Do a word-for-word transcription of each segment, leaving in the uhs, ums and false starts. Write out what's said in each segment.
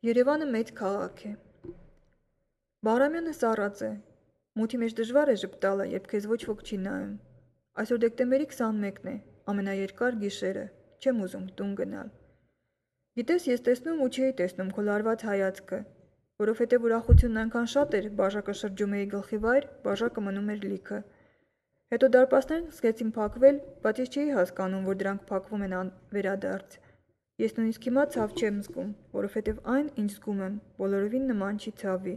Երևանը մեծ քաղաք է։ Բաղրամյանը սառած է։ Մութի մեջ դժվար է ժպտալը, երբ քեզ ոչ ոք չի նայում։ Այսօր դեկտեմբերի քսանմեկն է, ամենաերկար գիշերը, չեմ ուզում տուն գնալ։ Գիտես, ես տեսնում ու չէի տեսնում քո լարված հայացքը, որովհետև ուրախությունն այնքան շատ էր, բաժակը շրջում էի գլխի վայր, բաժակը մնում էր լիքը։ Հետո դարպասներն սկսեցին փակվել, բայց ես չէի հասկանում, որ դրանք փակվում են վերադարձ։ Ես նույնիսկ հիմա ցավ չեմ զգում, որովհետև այն, ինչ զգում եմ, բոլորովին նման չի ցավի։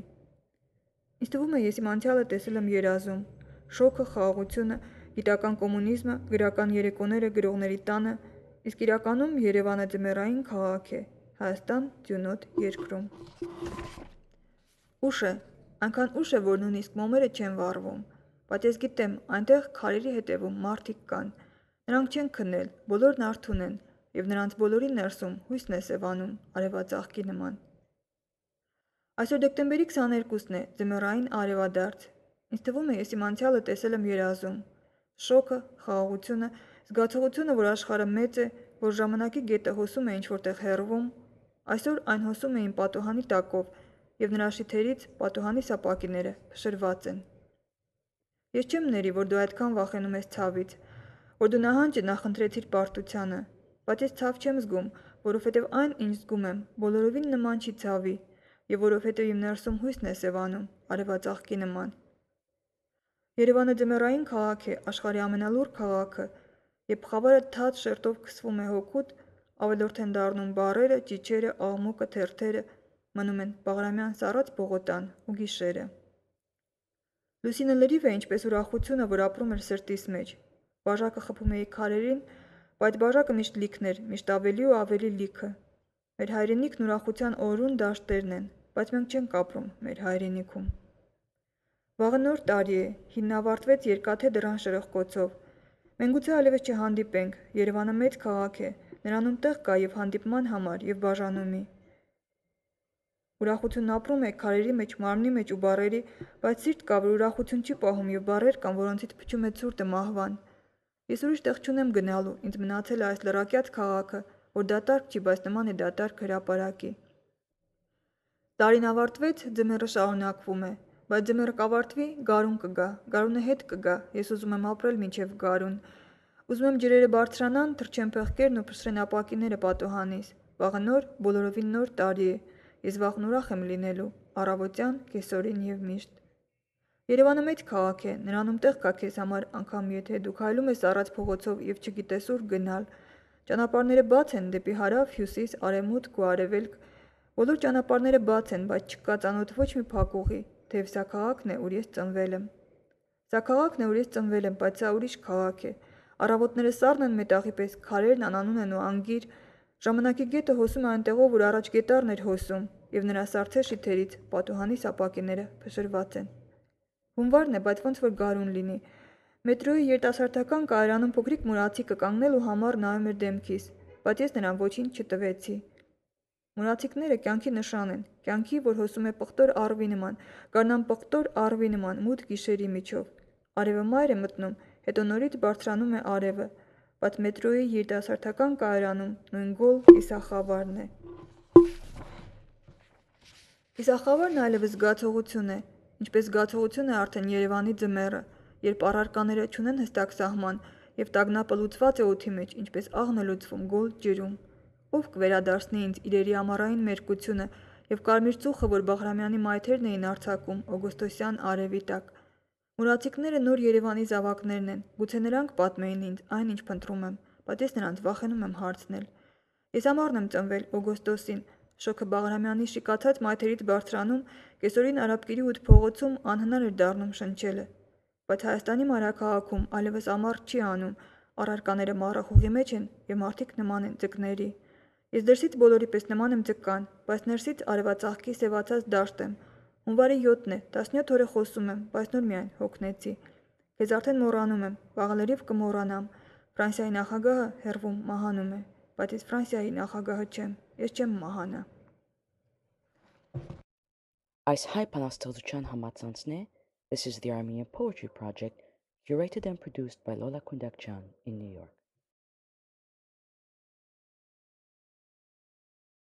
Ինձ թվում է, ես իմ անցյալը տեսել եմ երազում, շոկը, խաղաղությունը, գիտական կոմունիզմը, գրական երեկոները գրողների տանը, իսկ իրականում Երևանը ձմեռային քաղաք է, Հայաստան ձյունոտ երկրում։ Ուշ է, այնքան ուշ է, որ նույնիսկ մոմերը չեն վառվում, բայց ես գիտեմ, այնտեղ քարերի հետևում մարդիկ կան, նրանք չեն քնել, բոլորն արթուն են, և նրանց բոլորի ներսում հույսն է սևանում, արևածաղկի նման։ Այսօր դեկտեմբերի քսաներկուսն է, ձմեռային արևադարձ։ Ինձ թվում է, ես իմ անցյալը տեսել եմ երազում։ Շոկը, խաղաղությունը, զգացողությունը, որ աշխարհը մեծ է, որ ժամանակի գետը հոսում է ինչ-որտեղ հեռվում, այսօր այն հոսում է իմ պատուհանի տակով, և նրա շիթերից պատուհանի սապակիները փշրված են։ Ես չեմ ների, որ դու այդքան վախենում ես ցավից, որ դու նահանջը նախընտրեցիր պարտությանը, բայց ես ցավ չեմ զգում, որովհետև այն, ինչ զգում եմ, բոլորովին նման չի ցավի, և որովհետև իմ ներսում հույսն է սևանում, արևածաղկի նման։ Երևանը ձմեռային քաղաք է, աշխարհի ամենալուռ քաղաքը, երբ խավարը թաց շերտով քսվում է հօգուտ, ավելորդ են դառնում բառերը, ճիչերը, աղմուկը, թերթերը, մնում են Բաղրամյան սառած պողոտան ու գիշերը։ Լուսինը լրիվ է, ինչպես ուրախությունը, որ ապրում էր սրտիս մեջ։ Բաժակը խփում էի քարերին, բայց բաժակը միշտ լիքն էր, միշտ ավելի ու ավելի լիքը։ Մեր հայրենիքն ուրախության օրրուն դաշտերն են, բայց մենք չենք ապրում մեր հայրենիքում։ Վաղը նոր տարի է, հինն ավարտվեց երկաթե դռան շրխկոցով։ Մենք գուցե այլևս չհանդիպենք, Երևանը մեծ քաղաք է, նրանում տեղ կա և հանդիպման համար, և բաժանումի։ Ուրախությունն ապրում է քարերի մեջ, մարմնի մեջ ու բառերի, բայց սիրտ կա, որ ուրախություն չի պահում, և բառեր կան, որոնցից փչում է ցուրտը մահվան։ Ես ուրիշ տեղ չունեմ գնալու, ինձ մնացել է այս լրակյաց քաղաքը, որ դատարկ չի, բայց նման է դատարկ հրապարակի։ Տարին ավարտվեց, ձմեռը շարունակվում է, բայց ձմեռը կավարտվի, գարուն կգա, գարունը հետ կգա, ես ուզում եմ ապրել մինչև գարուն։ Ուզում եմ ջրերը բարձրանան, թռչեն փեղկերն ու փշրեն ապակիները պատուհանիս։ Վաղը նոր, բոլորովին նոր տարի է։ Ես վաղն ուրախ եմ լինելու, առավոտյան, կեսօրին և միշտ։ Երևանը մեծ քաղաք է, նրանում տեղ կա քեզ համար, անգամ եթե դու քայլում ես առած փողոցով և չգիտես ուր գնալ։ Ճանապարհները բաց են դեպի հարավ, հյուսիս, արևմուտք ու արևելք։ Բոլոր ճանապարհները բաց են, բայց չկա ծանոթ ոչ մի փակ ուղի, թեև սա քաղաքն է, ուր ես ծնվել եմ։ Սա քաղաքն է, ուր ես ծնվել եմ, բայց սա ուրիշ քաղաք է։ Առավոտները սառն են մետաղի պես, քարերն անանուն են ու անգիր։ Ժամանակի գետը հոսում է այնտեղով, ուր առաջ գետառն էր հոսում, և նրա սառցե շիթերից պատուհանի սապակիները փշրված են։ Հունվարն է, բայց ոնց որ գարուն լինի։ Մետրոյի երիտասարդական կայարանում փոքրիկ մուրացիկը կանգնել ու համառ նայում էր դեմքիս, բայց ես նրան ոչինչ չտվեցի։ Մուրացիկները կյանքի նշան են, կյանքի, որ հոսում է պղտոր առվի նման, գարնան պղտոր առվի նման, մութ գիշերի միջով։ Արևը մայր է մտնում, հետո նորից բարձրանում է արևը, բայց մետրոյի երիտասարդական կայարանում նույն գոլ կիսախավարն է։ Կիսախավարն այլևս զգացողություն է, ինչպես զգացողություն է արդեն Երևանի ձմեռը, երբ առարկաները չունեն հստակ սահման, և տագնապը լուծված է օդի մեջ, ինչպես աղն է լուծվում գոլ ջրում։ Ով կվերադարձնի ինձ իրերի ամառային մերկությունը և կարմիր ծուխը, որ Բաղրամյանի մայթերն էին արձակում օգոստոսյան արևի տակ։ Մուրացիկները նոր Երևանի զավակներն են, գուցե նրանք պատմեին ինձ այն, ինչ փնտրում եմ, բայց ես նրանց վախենում եմ հարցնել։ Ես ամառն եմ ծնվել, օգոստոսին, շոգը Բաղրամյանի շիկացած մայթերից բարձրանում, կեսօրին Արաբկիրի ութ փողոցում անհնար էր դառնում շնչելը։ Բայց Հայաստանի մայրաքաղաքում այլևս ամառ չի անում, առարկաները մառախուղի մեջ են, և մարդիկ նման են ձկների։ Ես դրսից բոլորի պես նման եմ ձկան, բայց ներսից արևածաղկի սևացած դաշտ եմ։ Հունվարի յոթն է, տասնյոթ օր է խոսում եմ, բայց նոր միայն հոգնեցի։ Քեզ արդեն մոռանում եմ, վաղը լրիվ կմոռանամ։ Ֆրանսիայի նախագահը հեռվում մահանում է, բայց ես Ֆրանսիայի նախագահը չեմ, ես չեմ մահանա։ Այս հայ բանաստեղծության համացանցն է This is the Armenian Poetry Project, curated and produced by Lola Kundakjan in New York.